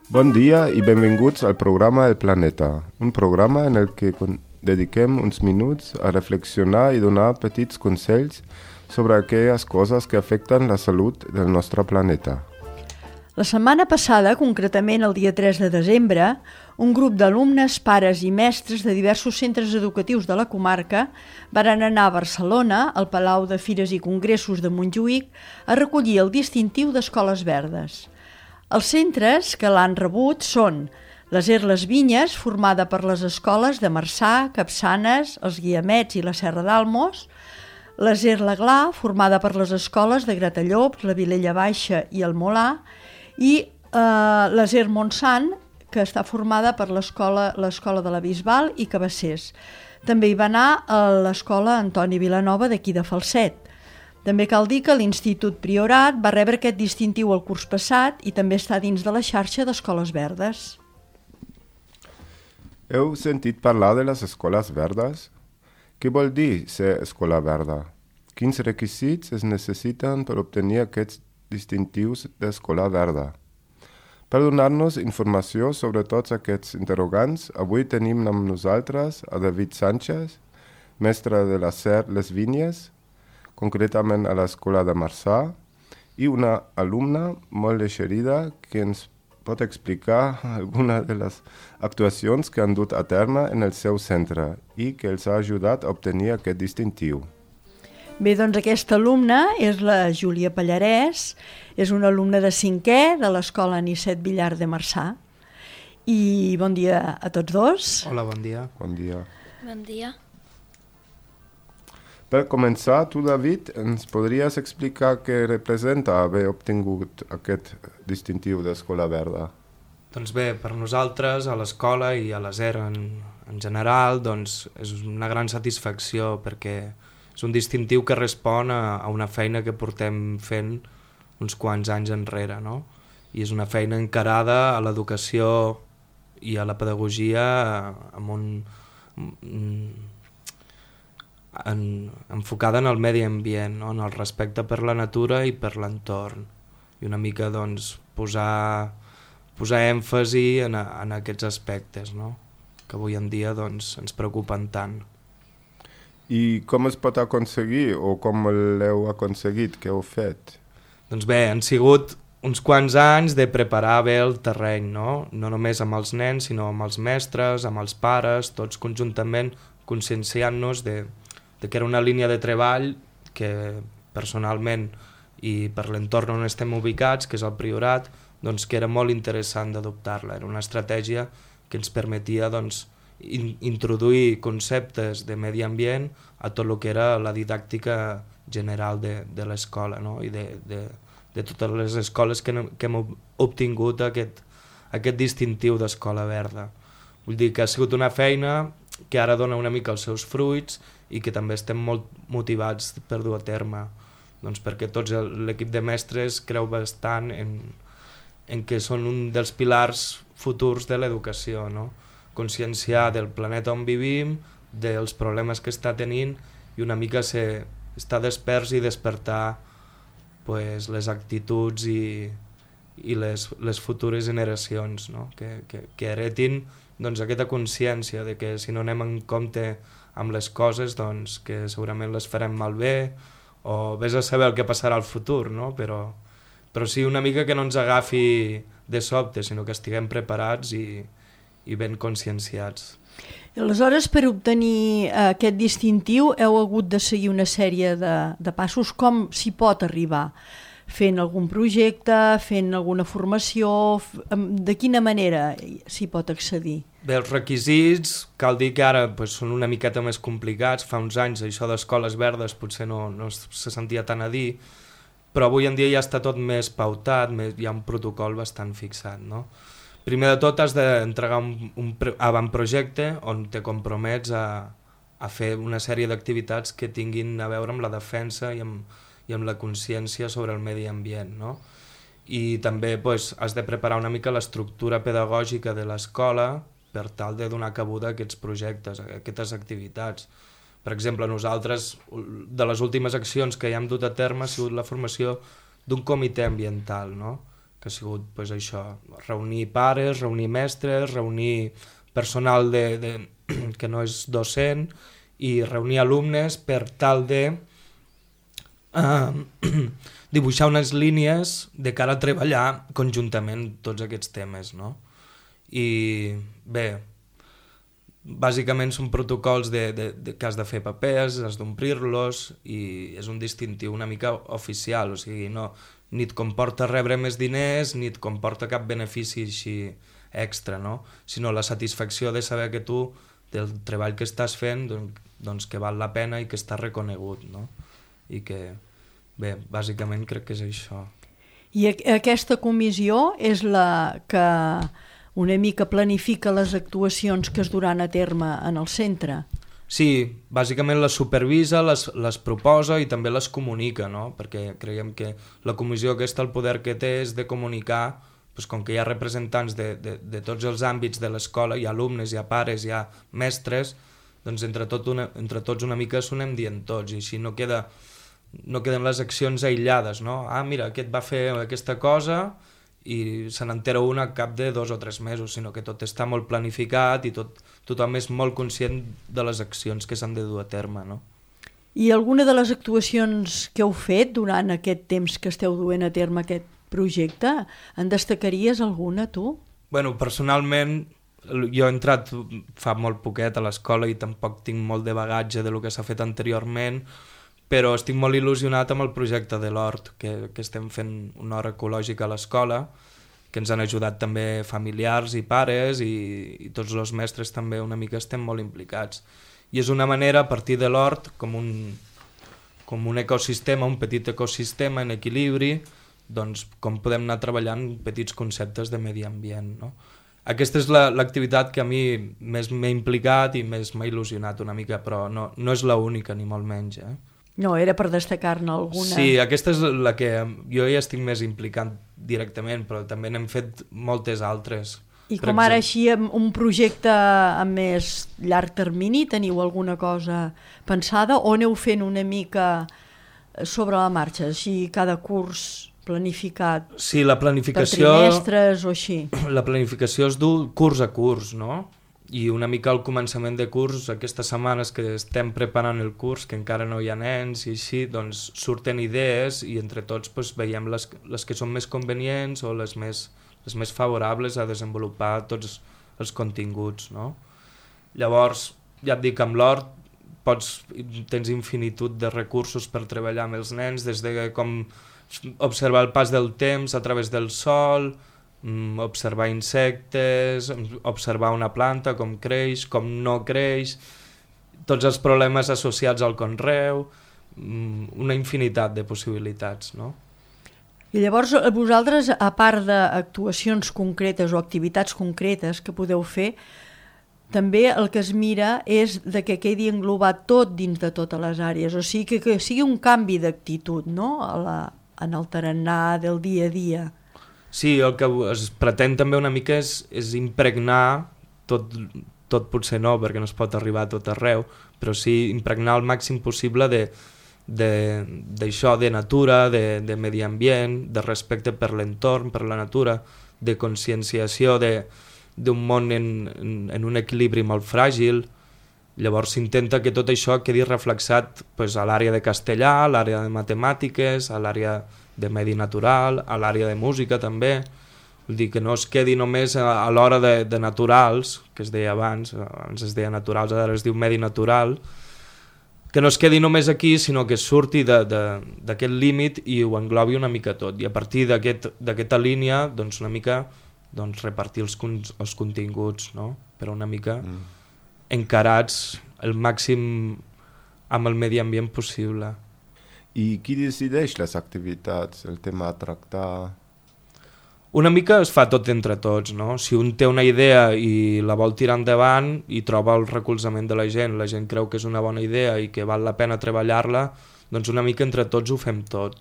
Bon dia i benvinguts al programa El Planeta, un programa en el que dediquem uns minuts a reflexionar i donar petits consells sobre aquelles coses que afecten la salut del nostre planeta. La setmana passada, concretament el dia 3 de desembre, un grup d'alumnes, pares i mestres de diversos centres educatius de la comarca varen anar a Barcelona, al Palau de Fires i Congressos de Montjuïc, a recollir el distintiu d'Escoles Verdes. Els centres que l'han rebut són l'Aser Les Vinyes, formada per les escoles de Marçà, Capçanes, els Guiamets i la Serra d'Almos, l'Aser L'Aglà, formada per les escoles de Gratallops, la Vilella Baixa i el Molà, i l'Aser Montsant, que està formada per l'Escola de la Bisbal i Cabassers. També hi va anar a l'Escola Antoni Vilanova d'aquí de Falset. També cal dir que l'Institut Priorat va rebre aquest distintiu el curs passat i també està dins de la xarxa d'Escoles Verdes. Heu sentit parlar de les escoles verdes? Què vol dir ser escola verda? Quins requisits es necessiten per obtenir aquests distintius d'escola verda? Per donar-nos informació sobre tots aquests interrogants, avui tenim amb nosaltres a David Sánchez, mestre de l'Aser Les Vinyes, concretament a l'escola de Marçà, i una alumna molt eixerida que ens pot explicar alguna de les actuacions que han dut a terme en el seu centre i que els ha ajudat a obtenir aquest distintiu. Bé, doncs aquesta alumna és la Júlia Pallarès, és una alumna de 5è de l'escola Anicet Villar de Marçà. I bon dia a tots dos. Hola, bon dia. Bon dia. Bon dia. Per començar, tu, David, ens podries explicar què representa haver obtingut aquest distintiu d'escola verda? Doncs bé, per nosaltres, a l'escola i a l'Aser en general, doncs és una gran satisfacció perquè és un distintiu que respon a una feina que portem fent uns quants anys enrere, no? I és una feina encarada a l'educació i a la pedagogia enfocada en el medi ambient, no? En el respecte per la natura i per l'entorn. I una mica doncs, posar èmfasi en aquests aspectes, no? Que avui en dia doncs, ens preocupen tant. I com es pot aconseguir o com l'heu aconseguit, què heu fet? Doncs bé, han sigut uns quants anys de preparar bé el terreny, no? No només amb els nens, sinó amb els mestres, amb els pares, tots conjuntament conscienciant-nos de que era una línia de treball que personalment i per l'entorn on estem ubicats, que és el Priorat, doncs que era molt interessant d'adoptar-la. Era una estratègia que ens permetia doncs, introduir conceptes de medi ambient a tot el que era la didàctica general de l'escola, no? I de totes les escoles que hem obtingut aquest distintiu d'escola verda. Vull dir que ha sigut una feina que ara dona una mica els seus fruits i que també estem molt motivats per dur a terme, doncs perquè tots l'equip de mestres creu bastant en que són un dels pilars futurs de l'educació, no? Conscienciar del planeta on vivim, dels problemes que està tenint i una mica estar desperts i despertar pues, les actituds i les futures generacions, no? Que heretin doncs, aquesta consciència de que si no anem en compte amb les coses doncs, que segurament les farem malbé o vés a saber el que passarà al futur, no? Però sí una mica que no ens agafi de sobte, sinó que estiguem preparats i ben conscienciats. Aleshores, per obtenir aquest distintiu heu hagut de seguir una sèrie de passos. Com s'hi pot arribar? Fent algun projecte, fent alguna formació? De quina manera s'hi pot accedir? Bé, els requisits, cal dir que ara pues, són una miqueta més complicats. Fa uns anys això d'escoles verdes potser no se sentia tant a dir, però avui en dia ja està tot més pautat, hi ha un protocol bastant fixat, no? Primer de tot has d'entregar un avantprojecte on te compromets a fer una sèrie d'activitats que tinguin a veure amb la defensa i amb la consciència sobre el medi ambient, no? I també pues, has de preparar una mica l'estructura pedagògica de l'escola per tal de donar cabuda a aquests projectes, a aquestes activitats. Per exemple, nosaltres, de les últimes accions que ja hem dut a terme ha sigut la formació d'un comitè ambiental, no? que ha sigut pues, això, reunir pares, reunir mestres, reunir personal que no és docent i reunir alumnes per tal de dibuixar unes línies de cara a treballar conjuntament tots aquests temes, no? I bé, bàsicament són protocols que has de fer papers, has d'omplir-los i és un distintiu una mica oficial, o sigui, no, ni et comporta rebre més diners ni et comporta cap benefici així extra, no? Sinó la satisfacció de saber que tu, del treball que estàs fent, doncs que val la pena i que està reconegut, no? I que, bé, bàsicament crec que és això. I aquesta comissió és la que una mica planifica les actuacions que es duran a terme en el centre? Sí, bàsicament les supervisa, les proposa i també les comunica, no? Perquè creiem que la comissió aquesta, el poder que té és de comunicar, doncs com que hi ha representants de tots els àmbits de l'escola, hi ha alumnes, hi ha pares, hi ha mestres, doncs entre tots una mica s'ho anem dient tots i així no queden les accions aïllades, no? Ah, mira, aquest va fer aquesta cosa i se n'entera una al cap de 2 o 3 mesos, sinó que tot està molt planificat i tothom és molt conscient de les accions que s'han de dur a terme, no? I alguna de les actuacions que heu fet durant aquest temps que esteu duent a terme aquest projecte, en destacaries alguna, tu? Bueno, personalment, jo he entrat fa molt poquet a l'escola i tampoc tinc molt de bagatge de lo que s'ha fet anteriorment, però estic molt il·lusionat amb el projecte de l'hort, que estem fent un hort ecològic a l'escola, que ens han ajudat també familiars i pares i tots els mestres també una mica estem molt implicats. I és una manera, a partir de l'hort, com un ecosistema, un petit ecosistema en equilibri, doncs com podem anar treballant petits conceptes de medi ambient, no? Aquesta és l'activitat que a mi més m'he implicat i més m'ha il·lusionat una mica, però no és l'única ni molt menys, No, era per destacar-ne alguna. Sí, aquesta és la que jo ja estic més implicant directament, però també n'hem fet moltes altres. I com ara així, un projecte a més llarg termini, teniu alguna cosa pensada o aneu fent una mica sobre la marxa, així cada curs planificat? Sí, la planificació... Per trimestres o així? La planificació es du curs a curs, no? I una mica al començament de curs, aquestes setmanes que estem preparant el curs, que encara no hi ha nens i així, doncs surten idees i entre tots doncs, veiem les que són més convenients o les més favorables a desenvolupar tots els continguts, no? Llavors, ja et dic, amb l'hort tens infinitud de recursos per treballar amb els nens, des de com observar el pas del temps a través del sol, observar insectes, observar una planta, com creix, com no creix, tots els problemes associats al conreu, una infinitat de possibilitats, no? I llavors vosaltres, a part d'actuacions concretes o activitats concretes que podeu fer, també el que es mira és de que quedi englobat tot dins de totes les àrees, o sigui que sigui un canvi d'actitud, no?, en el tarannà del dia a dia. Sí, el que es pretén també una mica és impregnar, tot potser no, perquè no es pot arribar a tot arreu, però sí impregnar el màxim possible d'això, de natura, de medi ambient, de respecte per l'entorn, per la natura, de conscienciació d'un món en un equilibri molt fràgil. Llavors s'intenta que tot això quedi reflexat a l'àrea de castellà, a l'àrea de matemàtiques, a l'àrea de medi natural, a l'àrea de música també. Vull dir que no es quedi només a l'hora de naturals, que es deia abans es deia naturals, ara es diu medi natural, que no es quedi només aquí, sinó que surti d'aquest límit i ho englobi una mica tot. I a partir d'aquesta línia, doncs una mica repartir els continguts, no? Però una mica encarats el màxim amb el medi ambient possible. I qui decideix les activitats, el tema a tractar? Una mica es fa tot entre tots, no? Si un té una idea i la vol tirar endavant i troba el recolzament de la gent creu que és una bona idea i que val la pena treballar-la, doncs una mica entre tots ho fem tot.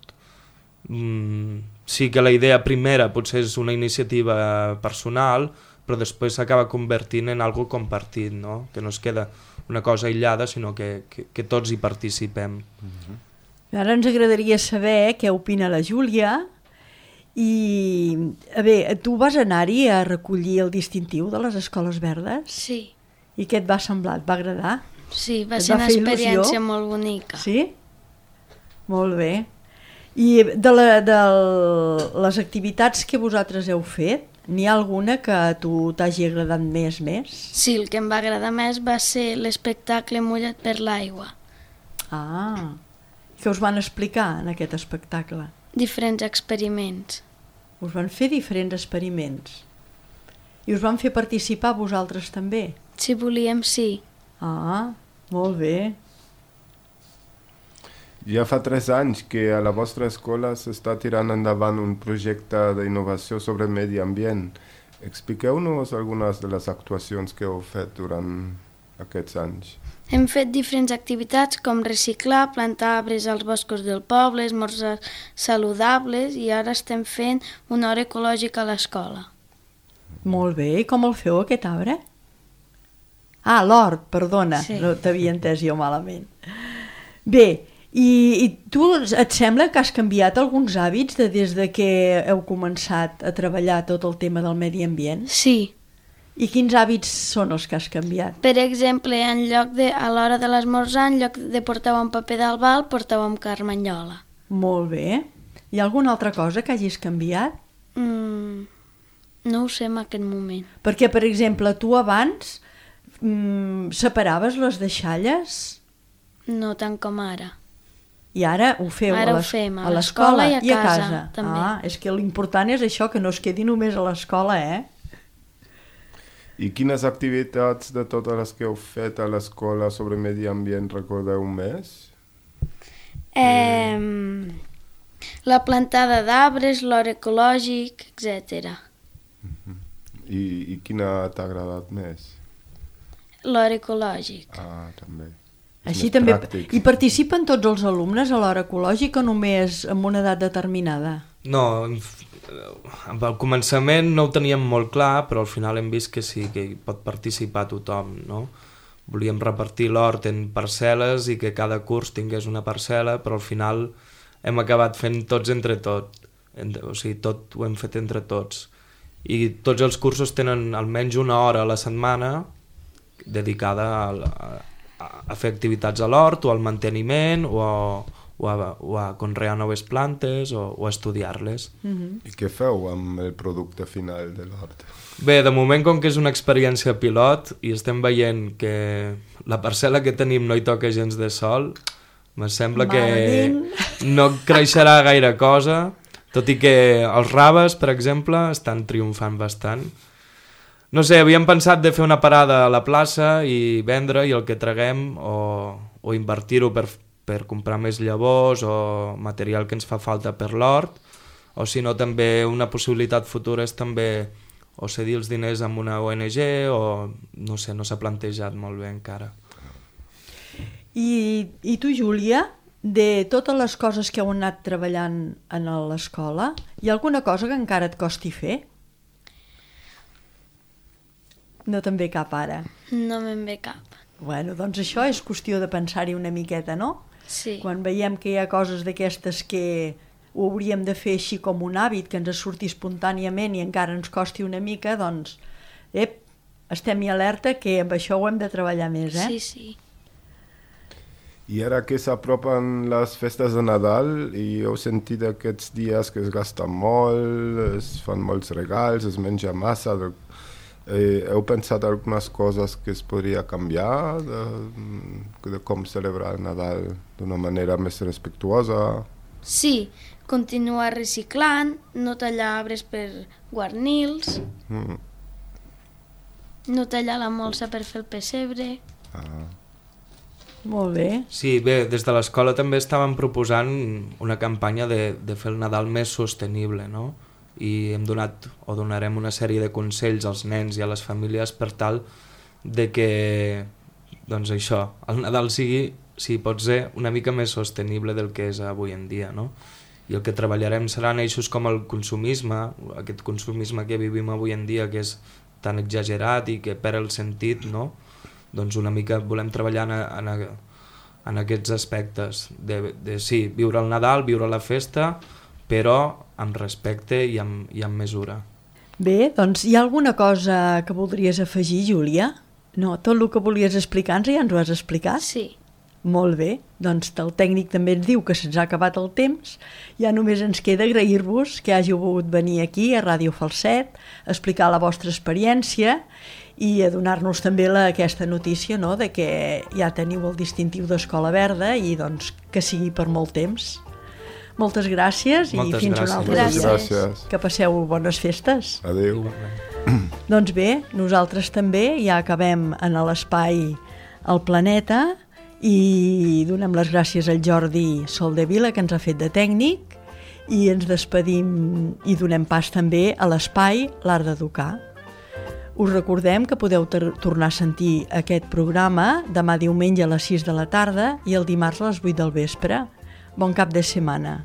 Sí que la idea primera potser és una iniciativa personal, però després s'acaba convertint en algo compartit, no? Que no es queda una cosa aïllada, sinó que tots hi participem. Ara ens agradaria saber què opina la Júlia I, bé, tu vas anar-hi a recollir el distintiu de les escoles verdes? Sí, I què et va semblar? Et va agradar? sí, va Et ser va una fer il·lusió? experiència molt bonica. Sí? Molt bé. I de les activitats que vosaltres heu fet, n'hi ha alguna que a tu t'hagi agradat més? Sí, el que em va agradar més va ser l'espectacle Mullat per l'aigua. Ah, què us van explicar en aquest espectacle? Diferents experiments. Us van fer diferents experiments. I us van fer participar vosaltres també? Si volíem, sí. Ah, molt bé. Ja fa 3 anys que a la vostra escola s'està tirant endavant un projecte d'innovació sobre medi ambient. Expliqueu-nos algunes de les actuacions que heu fet durant aquests anys. Hem fet diferents activitats com reciclar, plantar arbres als boscos del poble, esmorzars saludables i ara estem fent una hora ecològica a l'escola. Molt bé. I com el feu, aquest arbre? Ah, l'hort, perdona. Sí. No t'havia entès jo malament. Bé, i tu et sembla que has canviat alguns hàbits des de que heu començat a treballar tot el tema del medi ambient? Sí. I quins hàbits són els que has canviat? Per exemple, en lloc de, a l'hora de l'esmorzar, en lloc de portar un paper d'albal, portàvem carmanyola. Molt bé. Hi ha alguna altra cosa que hagis canviat? No ho sé en aquest moment. Perquè, per exemple, tu abans separaves les deixalles No tant com ara. i ara ho feu Ara ho fem a l'escola i a casa, també. Ah, és que l'important és això, que no es quedi només a l'escola, I quines activitats de totes les que heu fet a l'escola sobre medi ambient recordeu més? La plantada d'arbres, l'hort ecològic, etc. I quina t'ha agradat més? L'hort ecològic. Ah, també. Així Més també. pràctic. I participen tots els alumnes a l'hora ecològica o només amb una edat determinada? No, al començament no ho teníem molt clar, però al final hem vist que sí, que hi pot participar tothom, no? Volíem repartir l'hort en parcel·les i que cada curs tingués una parcel·la, però al final hem acabat fent tots entre tot, o sigui, tot ho hem fet entre tots. I tots els cursos tenen almenys una hora a la setmana dedicada a fer activitats a l'hort o al manteniment o a conrear noves plantes o a estudiar-les. I què feu amb el producte final de l'hort? Bé, de moment, com que és una experiència pilot i estem veient que la parcel·la que tenim no hi toca gens de sol, me sembla Malament. que no creixerà gaire cosa, tot i que els raves, per exemple, estan triomfant bastant. No sé, havíem pensat de fer una parada a la plaça i vendre i el que traguem o invertir-ho per comprar més llavors o material que ens fa falta per l'hort, o si no també una possibilitat futura és també o cedir els diners amb una ONG o no sé, no s'ha plantejat molt bé encara. I tu, Júlia, de totes les coses que heu anat treballant a l'escola, hi ha alguna cosa que encara et costi fer? No te'n ve cap ara. No me'n ve cap. Bueno, doncs això és qüestió de pensar-hi una miqueta, no? Sí. Quan veiem que hi ha coses d'aquestes que ho hauríem de fer així com un hàbit, que ens surti espontàniament i encara ens costi una mica, doncs, estem-hi alerta que amb això ho hem de treballar més, Sí, sí. I ara que s'apropen les festes de Nadal i heu sentit aquests dies que es gasta molt, es fan molts regals, es menja massa, heu pensat algunes coses que es podria canviar de com celebrar el Nadal d'una manera més respectuosa? Sí, continuar reciclant, no tallar arbres per guarnir-los, no tallar la molsa per fer el pessebre. Molt bé. Sí, bé, des de l'escola també estàvem proposant una campanya de fer el Nadal més sostenible, no? I hem donat o donarem una sèrie de consells als nens i a les famílies per tal de que, doncs això, el Nadal sigui, si pot ser, una mica més sostenible del que és avui en dia, no? I el que treballarem seran eixos com el consumisme, aquest consumisme que vivim avui en dia, que és tan exagerat i que perd el sentit, no? Doncs una mica volem treballar en aquests aspectes de sí, viure el Nadal, viure la festa, però amb respecte i amb mesura. Bé, doncs hi ha alguna cosa que voldries afegir, Júlia? No, tot el que volies explicar ja ens ho has explicat? Sí. Molt bé, doncs el tècnic també ens diu que se'ns ha acabat el temps, ja només ens queda agrair-vos que hàgiu volgut venir aquí a Ràdio Falset, a explicar la vostra experiència i a donar-nos també aquesta notícia, no?, de que ja teniu el distintiu d'Escola Verda i doncs que sigui per molt temps. Moltes gràcies i fins un altre dia. Gràcies. Que passeu bones festes. Adéu. Doncs bé, nosaltres també ja acabem en l'espai El Planeta i donem les gràcies al Jordi Soldevila, que ens ha fet de tècnic, i ens despedim i donem pas també a l'espai L'Art d'Educar. Us recordem que podeu tornar a sentir aquest programa demà diumenge a les 6 de la tarda i el dimarts a les 8 del vespre. Bon cap de setmana.